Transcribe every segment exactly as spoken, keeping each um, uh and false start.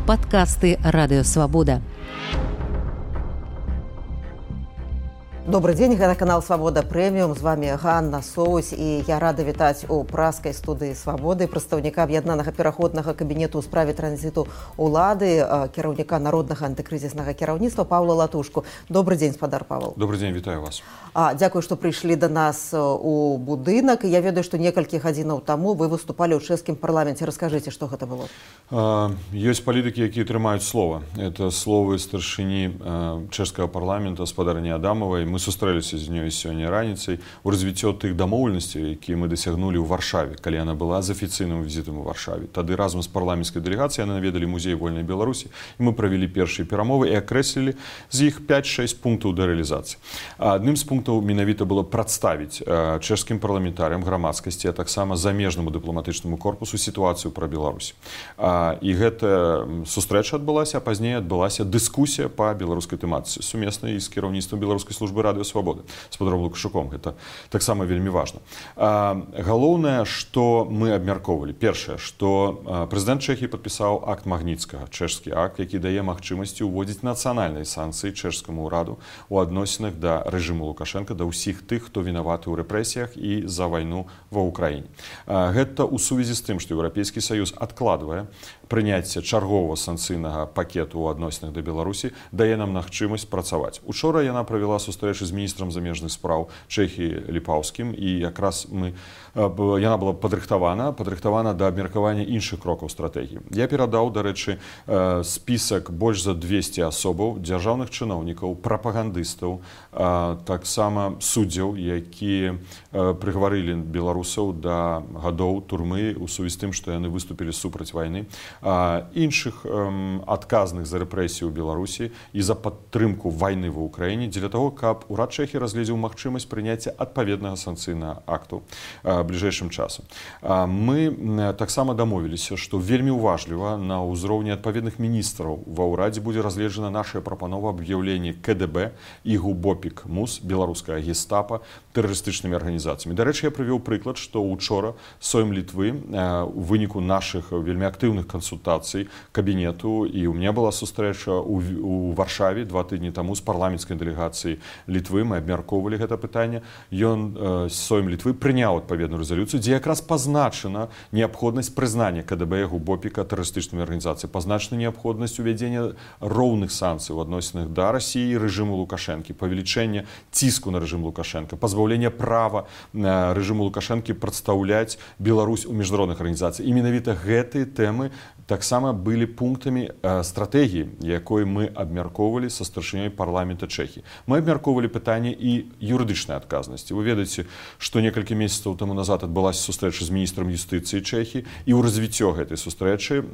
Падкасты радыёвабода. Добрый день, это канал «Свобода Премиум». С вами Ганна Соусь, и я рада вітаць у праскай студыі «Свободы» прадстаўніка аб'яднанага пераходнага кабінету ў справе транзіту улады, кіраўніка народнага антыкрызіснага кіраўніцтва Паўла Латушку. Добрый день, спадар Павел. Добрый день, вітаю вас. А, дзякую, што прыйшлі да нас у будынак. Я ведаю, што некалькі гадзінаў таму вы выступалі ў чэшскім парламенце. Раскажыце, што гэта было. А, ёсць палітыкі, якія трымаюць слова. Это словы старшыні чэшскага парламента спадарні Адамавай. Мы сустрэліся з ёй сёння раніцай у развіццё тых дамоўленасцей, якія мы дасягнулі ў Варшаве, калі яна была з афіцыйным візітам у Варшаве. Тады разам з парламенцкай дэлегацыяй яны наведалі музей вольнай Беларусі, і мы правялі першыя перамовы і акрэслілі з іх пяць-шэсць пунктаў да рэалізацыі. Адным з пунктаў менавіта было прадставіць чэшскім парламентарыям, грамадскасці, а таксама замежнаму дыпламатычнаму корпусу сітуацыю пра Беларусь. І гэта сустрэча адбылася, а пазней адбылася дыскусія па беларускай тэматыцы, сумеснай з кіраўніцтвам беларускай службы радыёвабоды з падаром Лукашуком. Гэта таксама вельмі важна. Галоўнае, што мы абмяркоўвалі. Першае, што прэзідэнт Чэхіі падпісаў акт Магніцкага, чэшскі акт, які дае магчымасці ўводзіць нацыянальныя санкцыі чэшскаму ўраду ў адносінах да рэжыму Лукашенка, да ўсіх тых, хто вінаваты ў рэпрэсіях і за вайну ва ўкраіне. Гэта ў сувязі з тым, што Еўрапейскі Саюз адкладвае прыняцце чарговага санкцыйнага пакету ў адносінах да Беларусі, дае нам магчымасць працаваць. Учора яна правяла сустрэчу з міністрам замежных спраў Чэхіі Ліпаўскім, і якраз мы, яна была падрыхтавана, падрыхтавана да абмеркавання іншых крокаў стратэгіі. Я перадаў, дарэчы, спісак больш за двесце асобаў, дзяржаўных чыноўнікаў, прапагандыстаў, таксама суддзяў, якія прыгаварылі беларусаў да гадоў турмы ў сувязі з тым, што яны выступілі супраць вайны, іншых адказных за рэпрэсію ў Беларусі і за падтрымку вайны ва ўкраіне, дзеля таго, каб урад Чэхіі разгледзеў магчымасць прыняцця адпаведнага санкцыйнага акту бліжэйшым часам. Мы таксама дамовіліся, што вельмі ўважліва на ўзроўні адпаведных міністраў ва ўрадзе будзе разгледжана наша прапанова аб'яўлення ка дэ бэ і ГУБОПІК МУС, беларуская гестапа, тэрарыстычнымі арганізацыямі. Дарэчы, я прывёў прыклад, што учора Сойм Літвы у выніку нашых вельмі актыўных кансультацый кабінету, і ў меня была сустрэча у Варшаве два тыдні таму з парламенцкай дэлегацыяй Літвы, мы абмяркоўвалі гэта пытанне. Ён, Сойм Літвы, прыняў адпаведную рэзалюцыю, дзе якраз пазначана неабходнасць прызнання ка дэ бэ ГУБОПІКа тэрарыстычнымі арганізацыямі, пазначана неабходнасць увядзення роўных санкцый у адносінах да Расіі і рэжыму Лукашэнкі, павелічэння ціску на рэжым Лукашэнка, пазбаўлення права рэжыму Лукашэнкі прадстаўляць Беларусь у міжнародных арганізацыях. І менавіта гэтыя тэмы таксама былі пунктамі стратэгіі, якой мы абмяркоўвалі са старшынёй парламента Чэхіі. Мы абмяркоўвалі пытанне і юрыдычнай адказнасці. Вы ведаеце, што некалькі месяцаў таму назад адбылася сустрэча з міністрам юстыцыі Чэхіі, і ў развіццё гэтай сустрэчы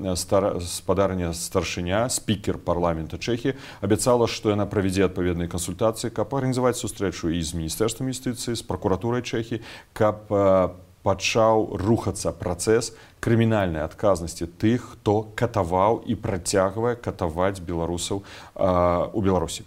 спадарня старшыня, спікер парламента Чэхіі, абяцала, што яна правядзе адпаведныя кансультацыі, каб арганізаваць сустрэчу і з міністэрствам юстыцыі, з пракуратурай Чэхіі, каб пачаў рухацца працэс крымінальнай адказнасці тых, хто катаваў і працягвае катаваць беларусаў у Беларусі.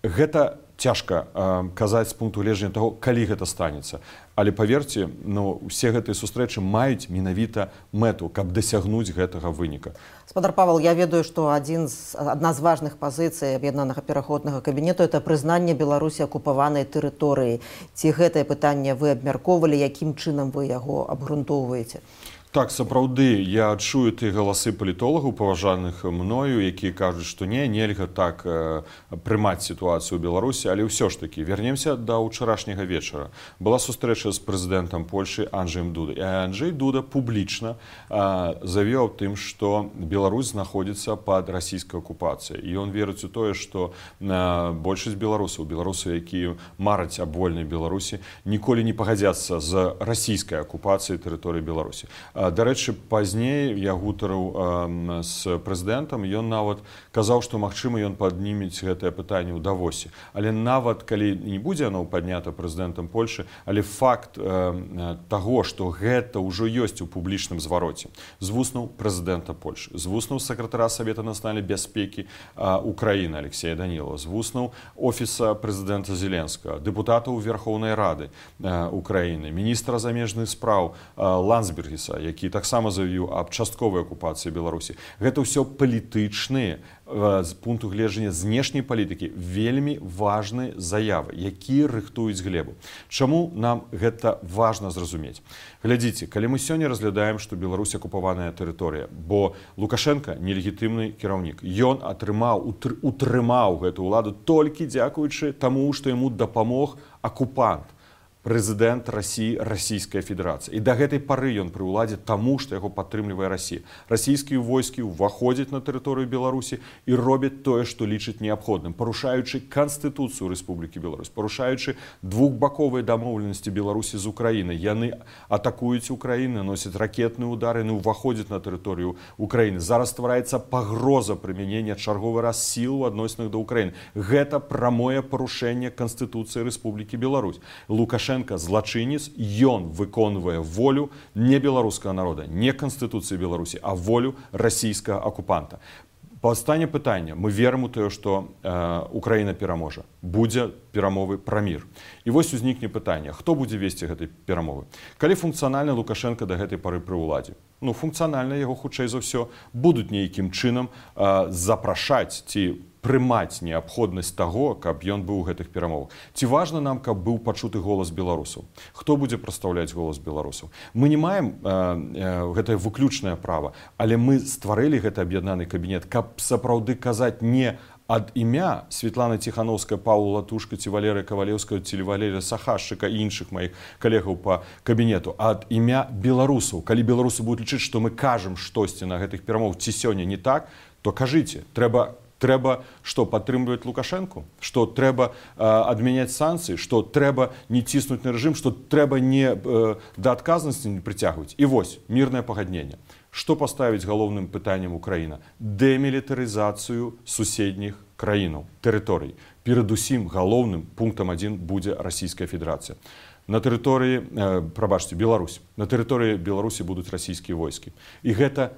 Гэта цяжка казаць з пункту гледжання таго, калі гэта станецца. Але паверце, ну, усе гэтыя сустрэчы маюць менавіта мэту, каб дасягнуць гэтага выніка. Спадар Павел, я ведаю, што адзін з, адна з важных пазіцый аб'яднанага пераходнага кабінету — это прызнанне Беларусі акупаванай тэрыторыі. Ці гэтае пытанне вы абмяркоўвалі, якім чынам вы яго абгрунтоўваеце? Так, сапраўды, я чую тыя галасы палітолагаў, паважаных мною, якія кажуць, што не, нельга так э, прымаць сітуацыю ў Беларусі, але ўсё ж такі, вернемся да ўчарашняга вечара. Была сустрэча з прэзідэнтам Польшы Анджэем Дудай. І Анджэй Дуда публічна э, заявіў тым, што Беларусь знаходзіцца пад расійскай акупацыяй. І ён верыць у тое, што э, большасць беларусаў, беларусаў, якія мараць аб вольнай Беларусі, ніколі не пагадзяцца з расійскай акупацыяй тэрыторыі Беларусі. Дарэчы, пазней я гутарыў з прэзідэнтам, ён нават казаў, што, магчыма, ён паднімець гэтае пытанне ў Давосе. Але нават, калі не будзе оно паднята прэзідэнтам Польшы, але факт таго, што гэта ўжо ёсць у публічным звароце з вуснаў прэзідэнта Польшы, з вуснаў сакратара Савета нацыянальнай бяспекі Украіны Алексея Данілова, з вуснаў офіса прэзідэнта Зеленскага, дэпутатаў Верхоўнай Рады Украіны, міністра замежных спраў Ландсбергіса, які таксама заявіў аб частковай акупацыі Беларусі. Гэта ўсё палітычныя з пункту гледжання знешняй палітыкі вельмі важныя заявы, якія рыхтуюць глебу. Чаму нам гэта важна зразумець? Глядзіце, калі мы сёння разглядаем, што Беларусь акупаваная тэрыторыя, бо Лукашенко нелегітымны кіраўнік. Ён атрымаў, утрымаў гэту ўладу толькі дзякуючы таму, што яму дапамог акупант, прэзідэнт Расіі, Расійская Федэрацыя. І да гэтай пары ён пры ўладзе таму, што яго падтрымлівае Расія. Расійскія войскі ўваходзяць на тэрыторыю Беларусі і робяць тое, што лічаць неабходным, парушаючы Канстытуцыю Рэспублікі Беларусь, парушаючы двухбаковыя дамоўленасці Беларусі з Украінай. Яны атакуюць Украіну, носяць ракетныя ўдары, яны ўваходзяць на тэрыторыю Украіны. Зараз ствараецца пагроза прымянення чарговы раз сіл у адносінах да Украіны. Гэта прамое парушэнне Канстытуцыі Рэспублікі Беларусь. Лукашенко злачынец, ён выконвае волю не беларускага народа, не Канстытуцыі Беларусі, а волю расійскага акупанта. Паўстане пытання, мы верым у тое, што э, Украіна пераможа, будзе перамовы пра мір. І вось узнікне пытанне, хто будзе весці гэтай перамовы? Калі функцыянальна Лукашенко да гэтай пары пры ўладзе? Ну, функцыянальна яго, хутчэй за ўсё, будуць нейкім чынам э, запрашаць ці прымаць неабходнасць таго, каб ён быў у гэтых перамовах. Ці важна нам, каб быў пачуты голас беларусаў? Хто будзе прадстаўляць голас беларусаў? Мы не маем э, э, гэтае выключнае права, але мы стварылі гэты аб'яднаны кабінет, каб сапраўды казаць не ад імя Светланы Ціхановскай, Паўла Латушка, ці Валерыя Кавалеўскага, ці Валерія Сахашчыка і іншых маіх калегаў па кабінету, а ад імя беларусаў. Калі беларусы будуць лічыць, што мы кажам штосьці на гэтых перамовах, ці сёння не так, то кажыце, трэба Трэба, што падтрымліваць Лукашэнку, што трэба э, адмяняць санкцыі, што трэба не ціснуць на рэжым, што трэба не э, да адказнасці не прыцягваць. І вось, мірнае пагадненне. Што паставіць галоўным пытаннем Украіна? Дэмілітарызацыю суседніх краінаў, тэрыторый. Перадусім галоўным пунктам адзін будзе Расійская Федэрацыя. На тэрыторыі, э, прабачце, Беларусь. На тэрыторыі Беларусі будуць расійскія войскі. І гэта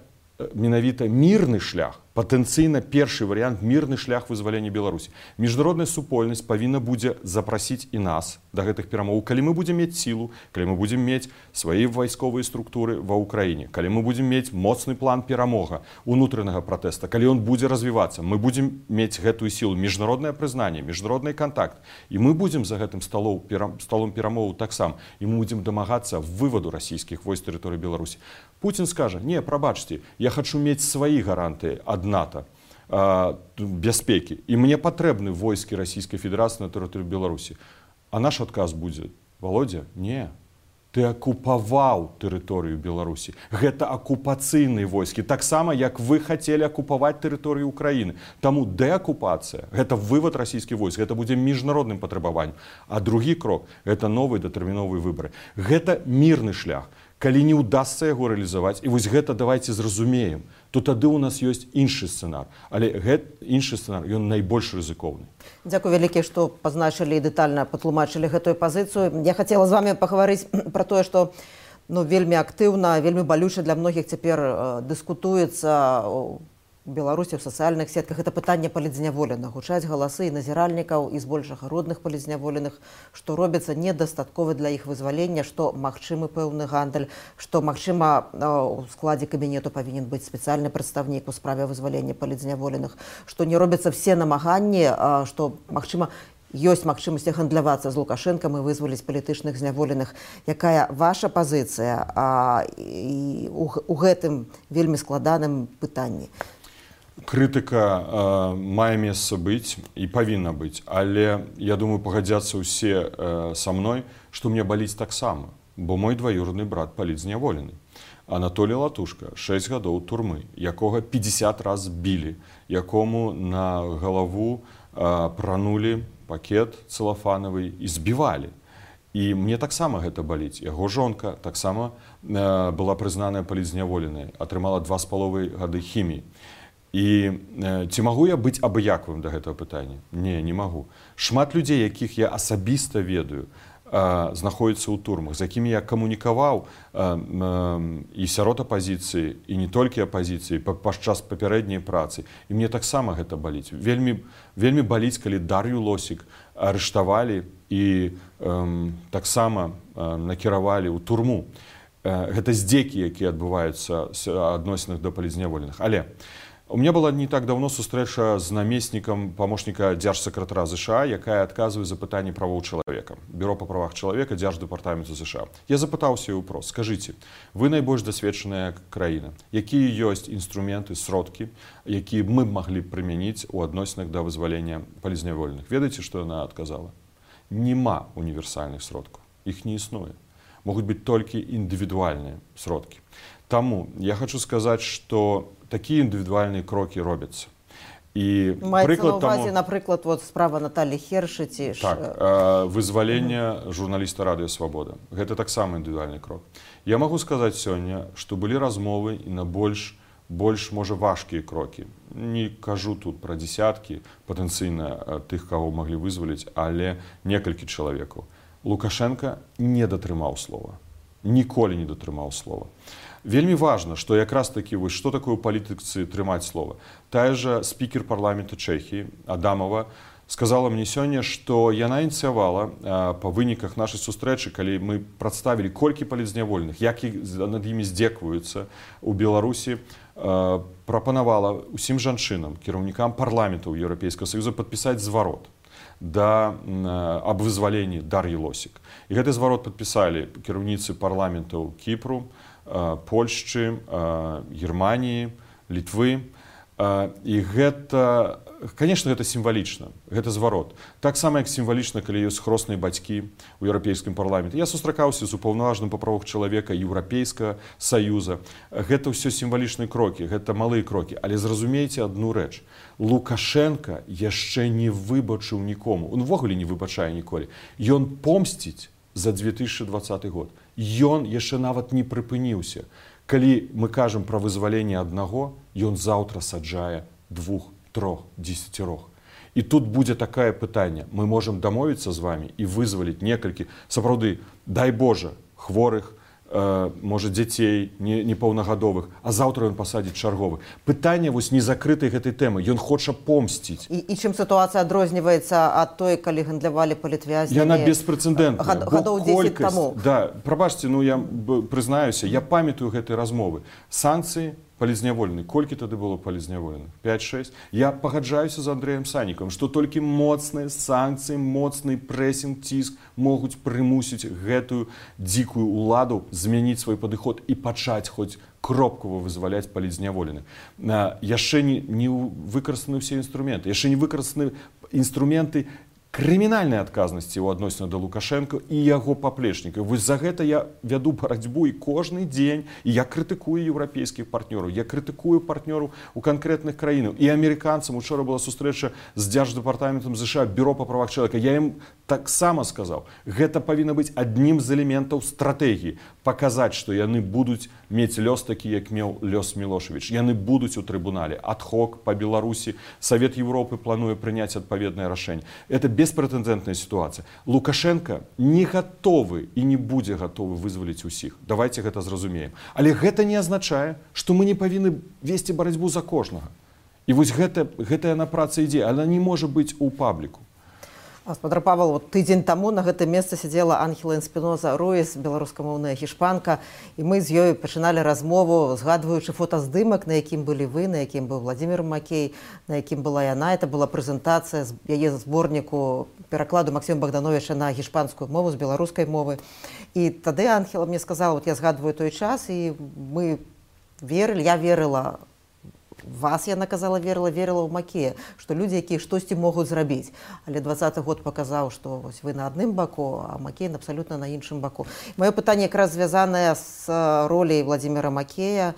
менавіта мірны шлях, патэнцыйна першы варыянт мірны шлях вызвалення Беларусі. Міжнародная супольнасць павінна будзе запрасіць і нас да гэтых перамоў, калі мы будзем мець сілу, калі мы будзем мець свае вайсковыя структуры ва ўкраіне, калі мы будзем мець моцны план перамога унутранага пратэста, калі ён будзе развівацца, мы будзем мець гэтую сілу, міжнароднае прызнанне, міжнародны кантакт, і мы будзем за гэтым сталом, сталом перамоваў таксама, і мы будзем дамагацца вываду расійскіх войск з тэрыторыі Беларусі. Путін скажа: не, прабачце, я хочу мець свае гарантыі ад НАТО, э, бяспекі, і мне патрэбны войскі Расійскай Федэрацыі на тэрыторыі Беларусі. А наш адказ будзе: Володя, не, ты акупаваў тэрыторыю Беларусі. Гэта акупацыйныя войскі, таксама як вы хацелі акупаваць тэрыторыю Украіны. Таму дэакупацыя, гэта вывад расійскіх войск, гэта будзе міжнародным патрабаваннем. А другі крок — гэта новыя датэрміновыя выбары. Гэта мірны шлях. Калі не ўдасца яго рэалізаваць, і вось гэта давайце зразумеем, то тады ў нас ёсць іншы сцэнар. Але гэты іншы сцэнар, ён найбольш рызыкоўны. Дзякуй вялікі, што пазначылі і дэтальна патлумачылі гэтую пазіцыю. Я хацела з вами пагаварыць пра тое, што ну, вельмі актыўна, вельмі балюча для многіх цяпер э, дыскутуецца у Беларусі, в сацыяльных сетках. Это пытанне палідзняволеных. Гучаць галасы і назіральнікаў, і збольшага родных палідзняволеных, што робіцца недастаткова для іх вызвалення, што магчымы пэўны гандаль, што магчыма у складзе кабінету павінен быць спецыяльны прадстаўнік у справе вызвалення палідзняволеных, што не робяцца все намаганні, што магчыма ёсць магчымасць гандлявацца з Лукашэнкам і вызваліць палітычных зняволеных. Якая ваша пазіцыя а, і у, у гэтым вельмі складаным пытанні? Крытыка э, мае месца быць і павінна быць, але я думаю, пагадзяцца ўсе э, са мной, што мне баліць таксама, бо мой дваюродны брат палітзняволены. Анатолій Латушка, шэсць гадоў турмы, якога пятьдесят раз білі, якому на галаву э, пранулі пакет цэлафанавы і збівалі. І мне таксама гэта баліць. Яго жонка таксама э, была прызнаная палітзняволенай, атрымала два з паловай гады хіміі. І э, ці магу я быць абыякавым да гэтага пытання? Не, не магу. Шмат людзей, якіх я асабіста ведаю, э, знаходзяцца ў турмах, з якімі я камунікаваў э, э, і сярод апазіцыі, і не толькі апазіцыі, падчас папярэдняй працы. І мне таксама гэта баліць. Вельмі, вельмі баліць, калі Дар'ю Лосік арыштавалі і э, таксама э, накіравалі ў турму. гэта здзекі, якія адбываюцца адносінах да палізняволеных. Але у меня была не так давно сустрэча з намеснікам памочніка дзяржсакратара ЗША, якая адказвае за пытанні правоў чалавека. Бюро па правах чалавека Дзярждэпартаменту ЗША. Я запытаўся яе ўпрос. Скажыце, вы найбольш дасведчаная краіна. Якія ёсць інструменты, сродкі, якія мы маглі прымяніць у адносінах да вызвалення палізняволеных? Ведаеце, што яна адказала? Нема універсальных сродкаў. Іх не існуе. Могуць быць толькі індывідуальныя сродкі. Таму я хочу сказаць, што такія індывідуальныя крокі робяцца. І маецца на ўвазе, напрыклад, вот справа Наталі Хершыці. Так, э, вызвалення журналіста Радыё Свабода. Гэта таксама індывідуальны крок. Я магу сказаць сёння, што былі размовы і на больш, больш можа, важкія крокі. Не кажу тут пра дзесяткі патэнцыйна тых, каго маглі вызваліць, але некалькі чалавекаў. Лукашенко не датрымаў слова. Ніколі не датрымаў слова. Вельмі важна, што якраз такі, вось, што такое ў палітыцы трымаць слова. Тая жа спікер парламента Чэхіі Адамова сказала мне сёння, што яна ініцыявала па выніках нашай сустрэчы, калі мы прадставілі колькі палізняволеных, як над імі здзекваюцца ў Беларусі, прапанавала усім жанчынам, кіраўнікам парламентаў Еўрапейскага Саюза падпісаць зварот да аб вызваленні Дар'і Лосік. І гэты зварот падпісалі кіраўніцы парламентаў Кіпру, Польшчы, Германіі, Літвы. І гэта, конечно, гэта сімвалічна, гэта зварот. Так сама, як сімвалічна, калі ёсць хросныя бацькі ў Еўрапейскім парламенце. Я сустракаўся з упаўнаважаным па правах чалавека Еўрапейскага Саюза. Гэта ўсё сімвалічныя крокі, гэта малыя крокі. Але зразумейце адну рэч. Лукашенко яшчэ не выбачыў нікому. Он увогуле не выбачае ніколі. Ён помсціць за две тысячы двадцаты год. Ён яшчэ нават не прыпыніўся. Калі мы кажам пра вызваленне аднаго, ён заўтра саджае двух, трох, дзесяцірох. І тут будзе такае пытанне. Мы можам дамовіцца з вамі і вызваліць некалькі, сапраўды, дай Божа, хворых, э, можа, дзяцей непаўнагадовых, а заўтра ён пасадзіць чарговых. Пытанне вось не закрытай гэтай тэмы. Ён хоча помсціць. І, і чым сітуацыя адрозніваецца ад той, калі гандлявалі палітвязнямі? Яна беспрэцэдэнтная. Гад, гадоў дзесяць таму. Да, прабачце, ну я прызнаюся, я памятаю гэтай размовы. Санкцыі палізняволеных. Колькі тады было палізняволеных? пяць-шэсць. Я пагаджаюся з Андрэем Санікам, што толькі моцныя санкцыі, моцны прэсінг, ціск могуць прымусіць гэтую дзікую ўладу змяніць свой падыход і пачаць хоць кропкава вызваляць палізняволеных. Яшчэ не, не выкарыстаны ўсе інструменты, яшчэ не выкарыстаны інструменты крымінальнай адказнасці ў адносінах да Лукашенко і яго паплечнікаў. Вось за гэта я вяду барацьбу і кожны дзень, і я крытыкую еўрапейскіх партнёраў, я крытыкую партнёраў у канкрэтных краінах. І амерыканцам учора была сустрэча з Дзярждэпартаментам ЗША, бюро па правах чалавека. Я ім таксама сказаў, гэта павінна быць аднім з элементаў стратэгіі. Паказаць, што яны будуць мець лёс такі, як меў лёс Мілошевіч. Яны будуць у трыбунале. Адхок па Беларусі. Савет Еўропы плануе прыняць адпаведнае рашэнне. Это беспрэцэдэнтная сітуацыя. Лукашенко не гатовы і не будзе гатовы вызваліць усіх. Давайте гэта зразумеем. Але гэта не азначае, што мы не павінны весці барацьбу за кожнага. І вось гэта, гэтая на праца ідзе, она не можа быць у пабліку. Гаспадар Павел, вот тыдзень таму на гэтым месцы сядзела Анхела Эспіноза Руіс, беларускамоўная гішпанка, і мы з ёй пачыналі размову, згадваючы фотаздымак, на якім былі вы, на якім быў Владзімір Макей, на якім была яна. Это была прэзентацыя з яе зборніку перакладу Максіма Богдановича на гішпанскую мову з беларускай мовы. І тады Анхела мне сказала, вот я згадваю той час, і мы верылі, я верыла вас, яна казала, верыла, верыла ў Макея, што людзі, якія штосьці могуць зрабіць. Але двадцаты год паказаў, што вось вы на адным баку, а Макей абсалютна на іншым баку. Маё пытанне якраз звязанае з роляй Владзіміра Макея.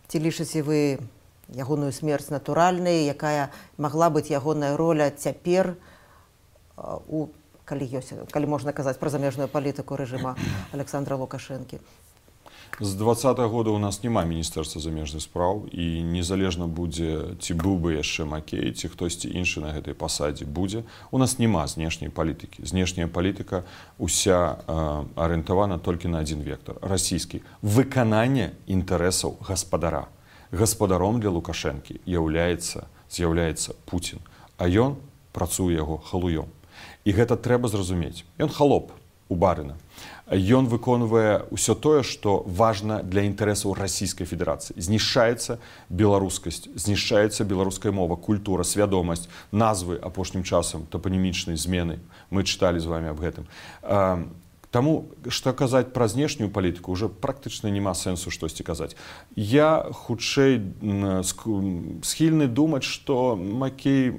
Ці лічыце вы ягоную смерць натуральнай, якая магла быць ягоная роля цяпер, у, калі, ёсць, калі можна казаць пра замежную палітыку рэжыма Александра Лукашэнкі? З двадцатага года у нас няма міністэрства замежных спраў, і незалежна будзе, ці быў бы яшчэ Макей, ці хтосьці іншы на гэтай пасадзе будзе. У нас няма знешняй палітыкі. Знешняя палітыка уся э, арыентавана толькі на адзін вектар, расійскі. Выкананне інтарэсаў гаспадара. Гаспадаром для Лукашэнкі з'яўляецца, з'яўляецца Пуцін, а ён працуе яго халуём. І гэта трэба зразумець. Ён халоп у барына. ён выконвае ўсё тое, што важна для інтарэсаў расійскай федэрацыі. Знішчаецца беларускасць, знішчаецца беларуская мова, культура, свядомасць, назвы апошнім часам, топанімічнай змены. Мы чыталі з вами аб гэтым. Таму, што казаць пра знешнюю палітыку, уже практычна няма сэнсу штосьці казаць. Я хутчэй схільны думаць, што Макей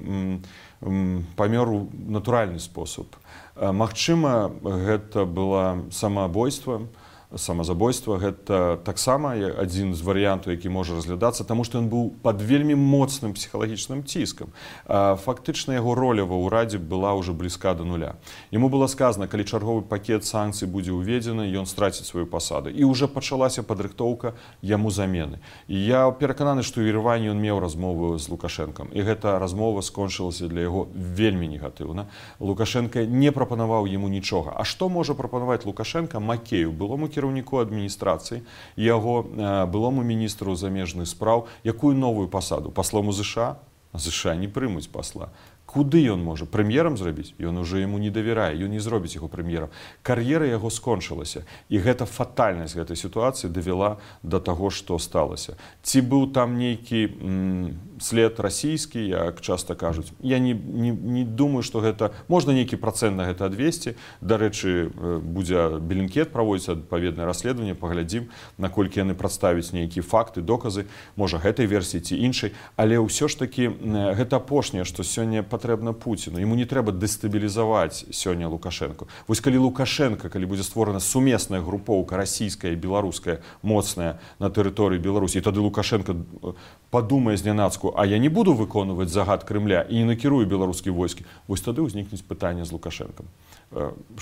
памёр у натуральны спосаб. Магчыма, гэта было самаабойства, самазабойства. Гэта таксама адзін з варыянтаў, які можа разглядацца, таму што ён быў пад вельмі моцным псіхалагічным ціскам. Фактычна яго роля ва ўрадзе была ўжо блізка да нуля. Яму было сказана, калі чарговы пакет санкцый будзе ўведзены, ён страціць сваю пасаду. І ўжо пачалася падрыхтоўка яму замены. І я перакананы, што ў Ереване ён меў размову з Лукашэнкам. І гэта размова скончылася для яго вельмі негатыўна. Лукашэнка не прапанаваў яму нічога. А што можа прапанаваць Лукашэнка Макею, былому кіраўніку адміністрацыі, яго былому міністру замежных спраў, якую новую пасаду? Паслом у ЗША? А ЗША не прымуць пасла. Куды ён можа? Прэм'ерам зрабіць? Ён уже яму не давярае, ён не зробіць яго прэм'ерам. Кар'ера яго скончылася. І гэта фатальнасць гэтай сітуацыі давяла да таго, што сталася. Ці быў там нейкі м, след расійскі, як часта кажуць. Я не, не, не думаю, што гэта... Можна нейкі працэнт на гэта адвесці. Дарэчы, будзе Белінкет праводзіць адпаведнае расследаванне, паглядзім, наколькі яны прадставяць нейкія факты, доказы, можа гэтай версіі ці іншай. Але ўсё ж такі гэта апошняе, што сёння патрэбна Пуціну. Яму не трэба дэстабілізаваць сёння Лукашэнку. Вось калі Лукашэнка, калі будзе створана сумесная групоўка расійская і беларуская моцная на тэрыторыі Беларусі, і тады Лукашэнка падумае знянацку, а я не буду выконваць загад Крымля і не накірую беларускія войскі, вось тады ўзнікнуць пытанне з Лукашэнкам.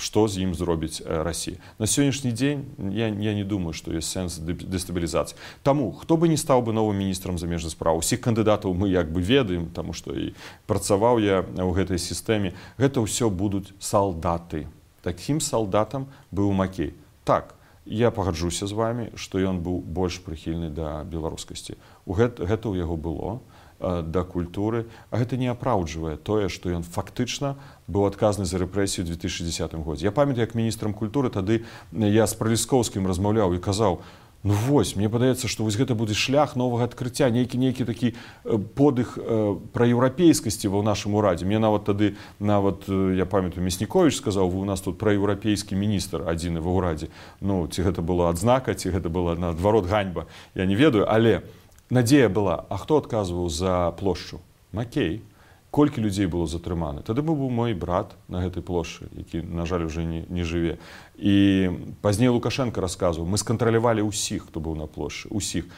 Што з ім зробіць Расія. На сённяшні дзень я, я не думаю, што ёсць сэнс дэстабілізацыі. Таму, хто бы не стаў бы новым міністрам замежных спраў, усіх кандыдатаў мы як бы ведаем, таму што і працаваў я ў гэтай сістэме, гэта ўсё будуць салдаты. Такім салдатам быў Макей. Так, я пагаджуся з вами, што ён быў больш прыхільны да беларускасці. Гэта, гэта ў яго было, да культуры, а гэта не апраўджвае тое, што ён фактычна быў адказны за рэпрэсію ў две тысячы дзесятым годзе. Я памятаю, як міністрам культуры тады я з Праліскоўскім размаўляў і казаў, ну вось, мне падаецца, што вось гэта будзе шлях новага адкрыцця, нейкі нейкі такі подых пра еўрапейскасці ва ў нашым урадзе. Мне нават тады, нават, я памятаю, Мясніковіч сказаў, вы у нас тут праеўрапейскі міністр адзіны ва ўрадзе. Ну, ці гэта была адзнака, ці гэта была наадварот ганьба, я не ведаю, але надзея была, а хто адказваў за плошчу? Макей. Колькі людзей было затрыманы? Тады быў мой брат на гэтай плошчы, які, на жаль, уже не, не жыве. І пазней Лукашенко расказваў, мы скантралявалі ўсіх, хто быў на плошчы, усіх.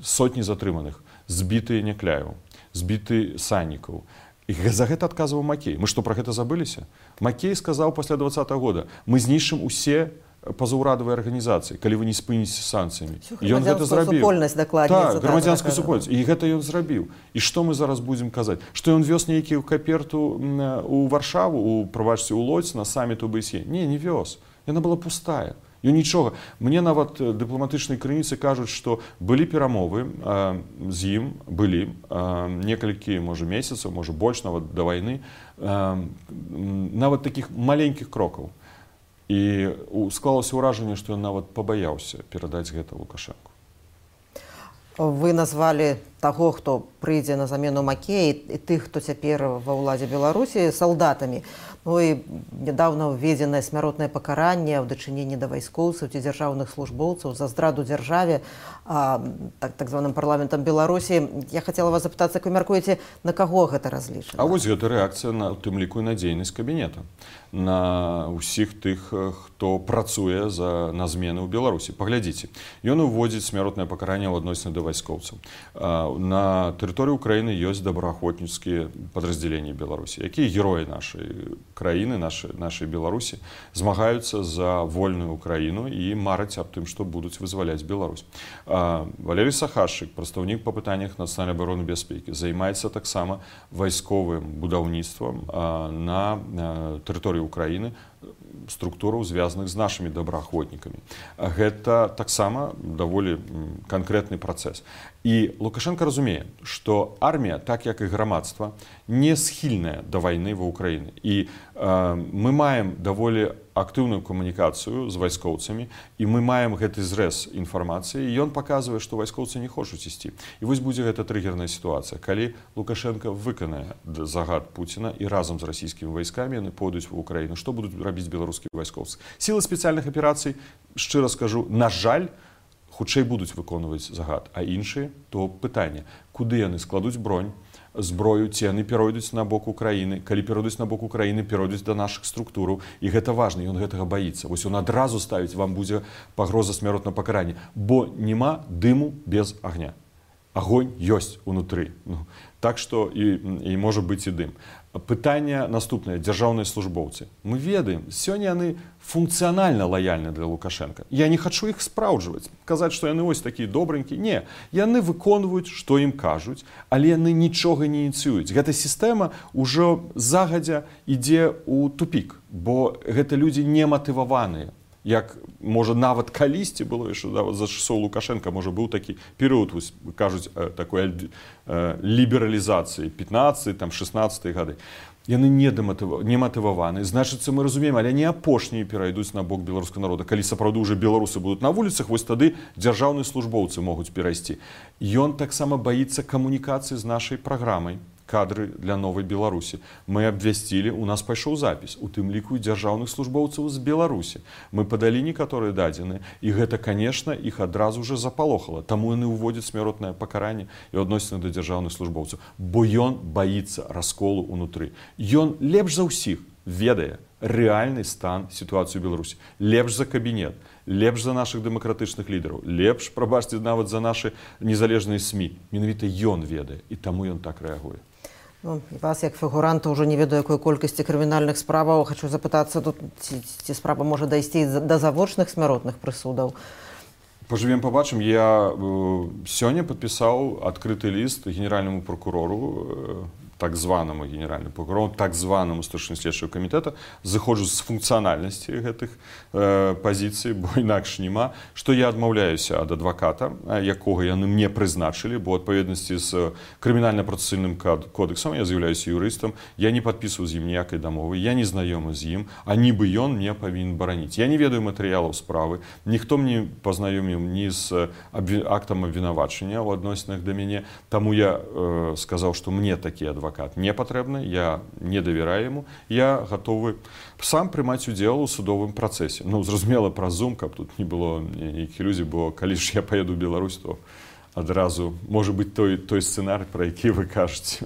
Сотні затрыманых, збітыя Някляеў, збіты Саннікаў. І за гэта адказваў Макей. Мы што, пра гэта забыліся? Макей сказаў пасля двадцатага года, мы знішчым усе пазаўрадавыя арганізацыі, калі вы не спыніце санкцыямі. Ён гэта зрабіў. Так, грамадзянскую супольнасць. І гэта ён зрабіў. І што мы зараз будзем казаць? Што ён вёз нейкую каперту ў Варшаву, у, прабачце, у Лодзь на саміт у БСЕ? Не, не вёз. Яна была пустая. Ён нічога. Мне нават дыпламатычныя крыніцы кажуць, што былі перамовы а, з ім, былі а, некалькі, можа, месяцаў, можа, больш нават да вайны, а, нават такіх маленькіх крокаў. І склалася ўражанне, што ён нават пабаяўся перадаць гэта Лукашэнку. Вы назвалі таго, хто прыйдзе на замену Макея, і тых, хто цяпер ва ўладзе Беларусі, салдатамі. Ну і нядаўна ўведзенае смяротнае пакаранне ў дачыненні да вайскоўцаў ці дзяржаўных службоўцаў за здраду дзяржаве, а, так, так званым парламентам Беларусі. Я хацела вас запытацца, як вы мяркуеце, на каго гэта разлічана? А вось гэта рэакцыя на, у тым ліку, і на дзейнасць кабінета. На ўсіх тых, хто працуе за, на змены ў Беларусі. Паглядзіце, ён уводзіць смяротнае пакаранне ў адносіны да вайскоўцаў. На тэрыторыі Украіны ёсць добраахвотніцкія падраздзяленні Беларусі, якія героі нашай краіны, нашай, нашай Беларусі, змагаюцца за вольную Украіну і мараць аб тым, што будуць вызваляць Беларусь. Валерый Сахашчык, прадстаўнік па пытаннях нацыянальнай абароны і бяспекі, займаецца таксама вайсковым будаўніцтвам на тэрыторыі Украіны структураў, звязаных з нашымі добраахвотнікамі. Гэта таксама даволі канкрэтны працэс. І Лукашенко разумее, што армія, так як і грамадства, не схільная да вайны ва Ўкраіне. І э, мы маем даволі актыўную камунікацыю з вайскоўцамі, і мы маем гэты зрэз інфармацыі, і ён паказвае, што вайскоўцы не хочуць ісці. І вось будзе гэта трыгерная сітуацыя, калі Лукашенко выканае загад Пуціна і разам з расійскімі вайскамі яны пойдуць в Украіну. Што будуць рабіць беларускія вайскоўцы? Сілы спецыяльных аперацый, шчыра скажу, на жаль, хутчэй будуць выконваць загад, а іншыя то пытанне, куды яны складуць бронь, зброю, ці яны перайдуць на бок Украіны, калі перайдуць на бок Украіны, перайдуць да нашых структураў, і гэта важна, ён гэтага баіцца. Вось ён адразу ставіць, вам будзе пагроза смяротнага пакарання, бо няма дыму без агня. Агонь ёсць унутры. Ну, так што і, і можа быць і дым. Пытанне наступнае, дзяржаўныя службоўцы. Мы ведаем, сёння яны функцыянальна лаяльны для Лукашенка. Я не хачу іх спраўджваць, казаць, што яны ось такія добренькія. Не, яны выконваюць, што ім кажуць, але яны нічога не ініцыююць. Гэта сістэма ўжо загадзя ідзе ў тупік, бо гэта людзі не матываваныя. Як, можа, нават калісьці было, яшчэ за часоў Лукашенка, можа, быў такі перыяд, кажуць, такой лібералізацыі, пятнадцатыя, там, шэснаццатыя гады. Яны не матываваны. Значыцца, мы разумеем, але не апошнія перайдуць на бок беларускага народа. Калі сапраўды ўжо беларусы будуць на вуліцах, вось тады дзяржаўныя службоўцы могуць перайсці. Ён таксама баіцца камунікацыі з нашай праграмай. Кадры для новай Беларусі. Мы абвясцілі, у нас пайшоў запіс, у тым ліку дзяржаўных службоўцаў з Беларусі. Мы падалі некаторыя дадзеныя, і гэта, канешне, іх адразу ж запалохала. Таму яны ўводзяць смяротнае пакаранне і адносіны да дзяржаўных службоўцаў. Бо ён баіцца расколу ўнутры. Ён лепш за ўсіх ведае рэальны стан сітуацыі ў Беларусі. Лепш за кабінет, лепш за нашых дэмакратычных лідараў, лепш, прабачце, нават за нашы незалежныя СМІ. Менавіта ён ведае, і таму ён так рэагуе. Ну, вас, як фігуранта, ўжо не ведаю, якой колькасці крымінальных справаў. Хачу запытацца, тут, ці, ці справа можа дайсці да завочных смяротных прысудаў? Пажывем, пабачым. Я э, сёння падпісаў адкрыты ліст генеральнаму прокурору, э, так званаму генеральнаму прокурору, так званаму старшыні следчага камітэта, зыходжу з функцыянальнасці гэтых э, пазіцый, бо інакш няма, што я адмаўляюся ад адваката, якога яны мне прызначылі, бо адпаведнасці з крымінальна-працэсуальным кодексам, я з'яўляюся юрыстам, я не падпісваў з ім ніякай дамовы, я не знаёмы з ім, а нібы ён мне павінен бараніць. Я не ведаю матэрыялаў справы, ніхто мне пазнаёміў ні з актам абвінавачання ў адносінах да мяне, таму я э, сказаў, што мне такі адвакат адвакат не патрэбны, я не давяраю яму, я гатовы сам прымаць удзел у судовым працэсе. Ну, зразумела, праз Zoom, каб тут не было ніякіх ілюзій, бо калі ж я паеду ў Беларусь, то адразу можа быць той, той сцэнарый, пра які вы кажаце.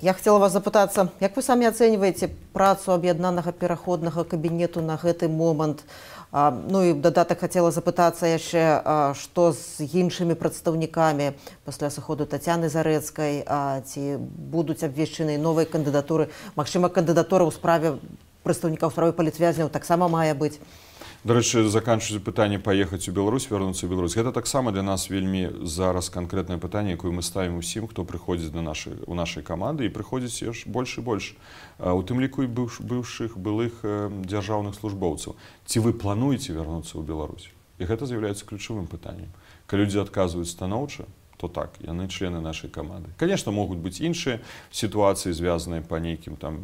Я хацела вас запытацца, як вы самі ацэньваеце працу аб'яднанага пераходнага кабінету на гэты момант? А, ну і дадатак хацела запытацца яшчэ, а, што з іншымі прадстаўнікамі пасля сыходу Тацяны Зарэцкай, а, ці будуць абвешчаны новыя кандыдатуры? Магчыма, кандыдатура ў справе прадстаўнікаў справы палітвязняў таксама мае быць? Дарэчы, заканчваць пытанне паехаць у Беларусь, вярнуцца ў Беларусь. Гэта таксама для нас вельмі зараз канкрэтнае пытанне, якое мы ставім усім, хто прыходзіць на нашы, у нашай каманды, і прыходзіць яш больш і больш. У тым ліку і быўшых былых дзяржаўных службоўцаў. Ці вы плануеце вярнуцца ў Беларусь? І гэта з'яўляецца ключавым пытаннем. Калі людзі адказваюць станоўча, то так, яны члены нашай каманды. Конечно, могуць быць іншыя сітуацыі, звязаныя па нейкім там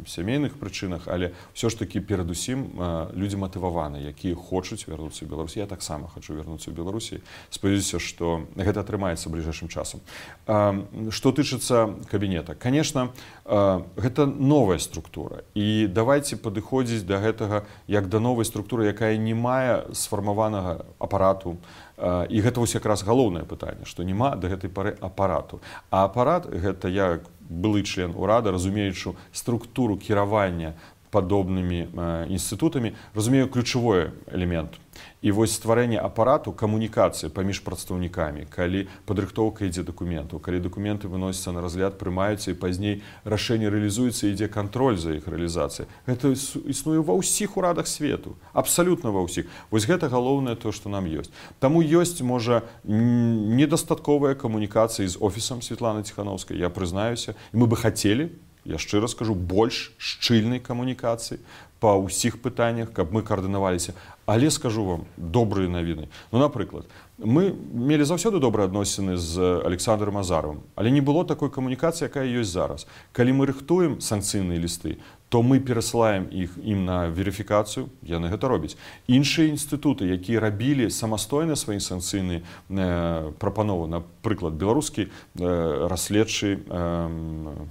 сямейных прычынах, але ўсё ж такі перадусім людзі матываваныя, якія хочуць вярнуцца ў Беларусь. Я таксама хачу вярнуцца ў Беларусі. Спадзяюся, што гэта атрымаецца бліжэйшым часам. Што тычыцца кабінета, конечно, гэта новая структура. І давайце падыходзіць да гэтага як да новай структуры, якая не мае сфармаванага апарату. І гэта вось якраз галоўнае пытанне, што няма да гэтай пары апарату. А апарат, гэта я, былы член урада, разумеючы структуру кіравання падобнымі інстытутамі, разумею ключавой элемент. І вось стварэнне апарату камунікацыі паміж прадстаўнікамі, калі падрыхтоўка ідзе дакументаў, калі дакументы выносяцца на разгляд, прымаюцца і пазней рашэнне рэалізуецца, ідзе кантроль за іх рэалізацыяй. Гэта існуе ва ўсіх урадах свету, абсалютна ва ўсіх. Вось гэта галоўнае то, што нам ёсць. Таму ёсць, можа, недастатковая камунікацыя з офісам Святланы Ціхановскай, я прызнаюся, і мы бы хацелі, я шчыра скажу, больш шчыльнай камунікацыі па ўсіх пытаннях, каб мы каардынаваліся. Але скажу вам добрыя навіны. Ну, напрыклад, мы мелі заўсёды добрыя адносіны з Александром Азаровым, але не было такой камунікацыі, якая ёсць зараз. Калі мы рыхтуем санкцыйныя лісты, то мы перасылаем іх ім на верыфікацыю, яны гэта робяць. Іншыя інстытуты, якія рабілі самастойна свае санкцыйныя э, прапановы, напрыклад, беларускі э, расследчы э,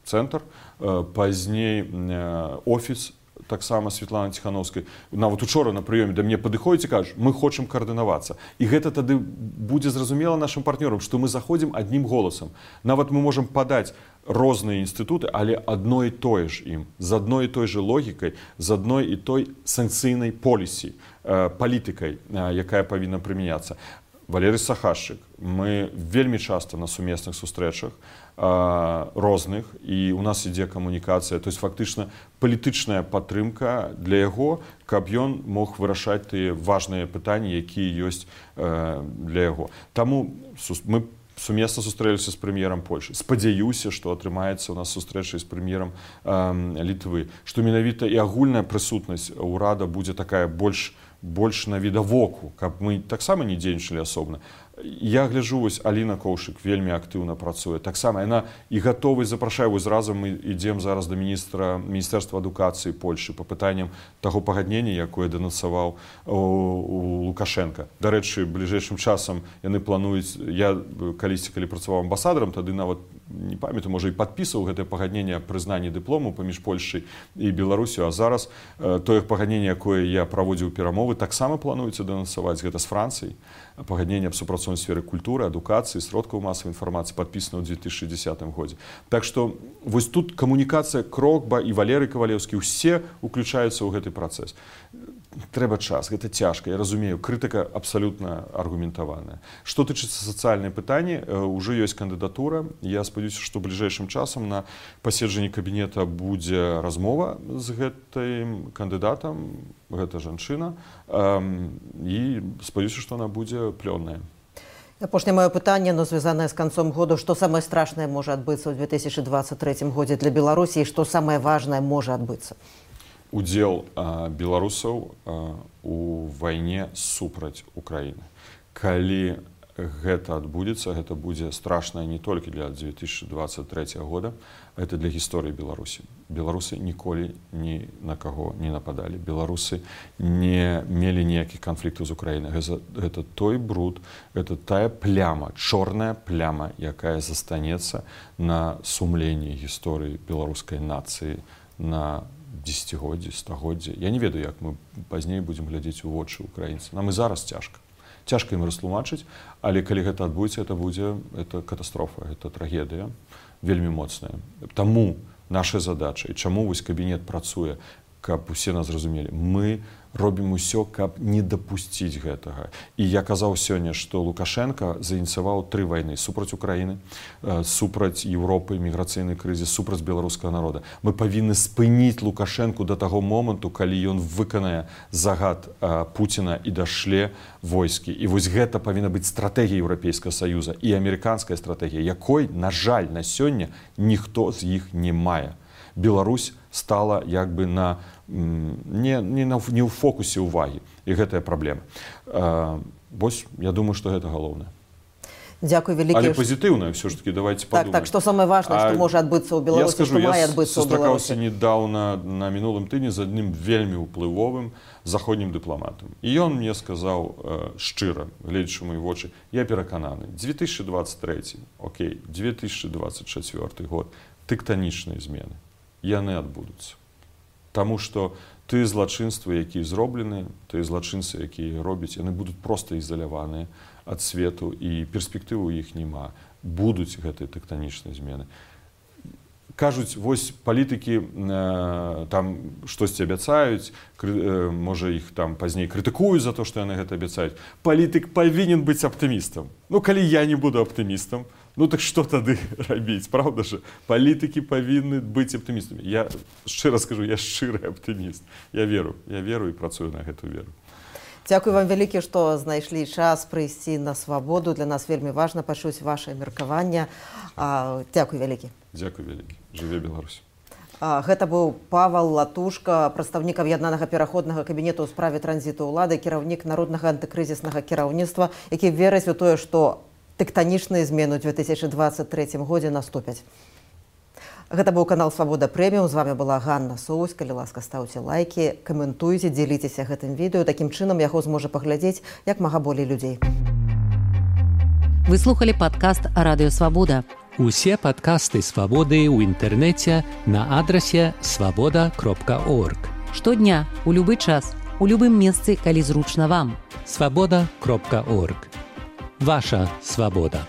цэнтр, э, пазней э, офіс, таксама Светлана Ціхановскай, нават учора на прыёме да мне падыходзіць і кажуць, мы хочам каардынавацца. І гэта тады будзе зразумела нашым партнёрам, што мы заходзім аднім голасам. Нават мы можам падаць розныя інстытуты, але адно і тое ж ім, з адной і той же логікай, з адной і той санкцыйнай полісі, э, палітыкай, э, якая павінна прымяняцца. Валерый Сахашчык, мы вельмі часта на сумесных сустрэчах э, розных, і у нас ідзе камунікацыя, то есть фактычна палітычная падтрымка для яго, каб ён мог вырашаць тыя важныя пытанні, якія ёсць э, для яго. Таму мы сумесна сустрэліся з прэм'ерам Польшы. Спадзяюся, што атрымаецца у нас сустрэча з прэм'ерам э, Літвы, што менавіта і агульная прысутнасць ўрада будзе такая больш больш навідавоку, каб мы таксама не дзейнічалі асобна. Я гляджу, вось Аліна Коўшык вельмі актыўна працуе. Таксама яна і гатовы запрашае, вось разам мы ідзем зараз да міністра міністэрства адукацыі Польшы па пытанням таго пагаднення, якое дэнансаваў у Лукашенка. Дарэчы, бліжэйшым часам яны плануюць, я калісьці, калі працаваў амбасадарам, тады нават не памятаю, можа і падпісваў гэтае пагадненне прызнання дыплому паміж Польшай і Беларусю, а зараз э, тое пагадненне, якое я праводзіў перамовы, таксама плануецца дэнансаваць, гэта з Францыяй. Пагадненне аб супрацоўніцтве сферы культуры, адукацыі, сродкаў масавай інфармацыі падпісана ў две тысячы дзесятым годзе. Так што вось тут камунікацыя Крокба і Валерый Кавалеўскі ўсе уключаюцца ў гэты працэс. Трэба час, гэта цяжка, я разумею, крытыка абсалютна аргументаваная. Што тычыцца сацыяльнай пытанні, ўжо ёсць кандыдатура. Я спадзяюся, што бліжэйшым часам на паседжанні кабінета будзе размова з гэтым кандыдатам, гэта жанчына, і спадзяюся, што она будзе плённая. Апошняе маё пытанне, но звязанае з канцом году. Што самае страшнае можа адбыцца ў две тысячы дваццаць трэцім годзе для Беларусі і што самае важнае можа адбыцца? Удзел а, беларусаў а, у вайне супраць Украіны. Калі гэта адбудзецца, гэта будзе страшна не толькі для две тысячи двадцать третьего года, это для гісторыі Беларусі. Беларусы ніколі ні на каго не нападалі. Беларусы не мелі ніякіх канфліктаў з Украінай. Гэта, гэта той бруд, гэта тая пляма, чорная пляма, якая застанецца на сумленні гісторыі беларускай нацыі на дзесяцігоддзі, стагоддзі. Я не ведаю, як мы пазней будзем глядзець у вочы украінцам. Нам і зараз цяжка. Цяжка ім растлумачыць, але калі гэта адбудзецца, это будзе это катастрофа, это трагедыя вельмі моцная. Таму наша задача, і чаму вось кабінет працуе, каб усе нас зразумелі, мы робім усё, каб не дапусціць гэтага. І я казаў сёння, што Лукашенко заініцыяваў тры вайны супраць Украіны, супраць Еўропы, міграцыйны крызіс, супраць беларускага народа. Мы павінны спыніць Лукашенку да таго моманту, калі ён выканае загад Пуціна і дашле войскі. І вось гэта павінна быць стратэгія Еўрапейскага Саюза і амерыканская стратэгія, якой, на жаль, на сёння ніхто з іх не мае. Беларусь стала як бы на не, не, на, не ў фокусе ўвагі. І гэтая праблема. А, вось, я думаю, што гэта галоўнае. Дзякуй вялікі. Але пазітыўна, ўсё ж таки, давайте подумаем. Так, так, што самае важнае, што можа адбыцца ў Беларусі, скажу, што мае адбыцца ў Беларусі. Я сустракаўся недаўна на мінулым тыдні з адным вельмі ўплывовым заходнім дыпламатам. І ён мне сказаў э, шчыра, гледзячы ў мае вочы, я перакананы, две тысячи двадцать третий, окей, две тысячи двадцать четвёртый год, тэктанічныя змены, яны адбудуцца. Таму што тыя злачынствы, якія зроблены, тыя злачынцы, якія робяць, яны будуць проста ізаляваныя ад свету, і перспектывы ў іх няма. Будуць гэтыя тэктанічныя змены. Кажуць, вось палітыкі э, там штосьці абяцаюць, кры, э, можа іх там пазней крытыкуюць за то, што яны гэта абяцаюць. Палітык павінен быць аптымістам. Ну, калі я не буду аптымістам, ну так што тады рабіць, правда ж? Палітыкі павінны быць аптымістамі. Я шчыра скажу, я шчыры аптыміст. Я веру, я веру і працую на гэту веру. Дзякуй вам вялікі, што знайшлі час прыйсці на свабоду. Для нас вельмі важна пачуць вашае меркаванне. Дзякуй вялікі. Дзякуй вялікі. Жыве Беларусь. Гэта быў Павал Латушка, прадстаўнік аб'яднанага пераходнага кабінету ў справе транзіту ўлады, кіраўнік народнага антыкрызіснага кіраўніцтва, які верыць у тое, што тэктанічныя змены ў две тысячы дваццаць трэцім годзе наступяць. Гэта быў канал «Свабода Прэміум». З вами была Ганна Соусь. Калі ласка, ставьте лайки, каментуйте, дзеліцеся гэтым відэо. Такім чынам яго зможа паглядзець як мага болей людзей. Вы слухали падкаст «Радыё Свабода». Усе падкасты «Свабоды» ў інтэрнэце на адрасе свабода кропка орг. Штодня, у любы час, у любым месцы, калі зручна вам. свабода кропка орг. Ваша свабода.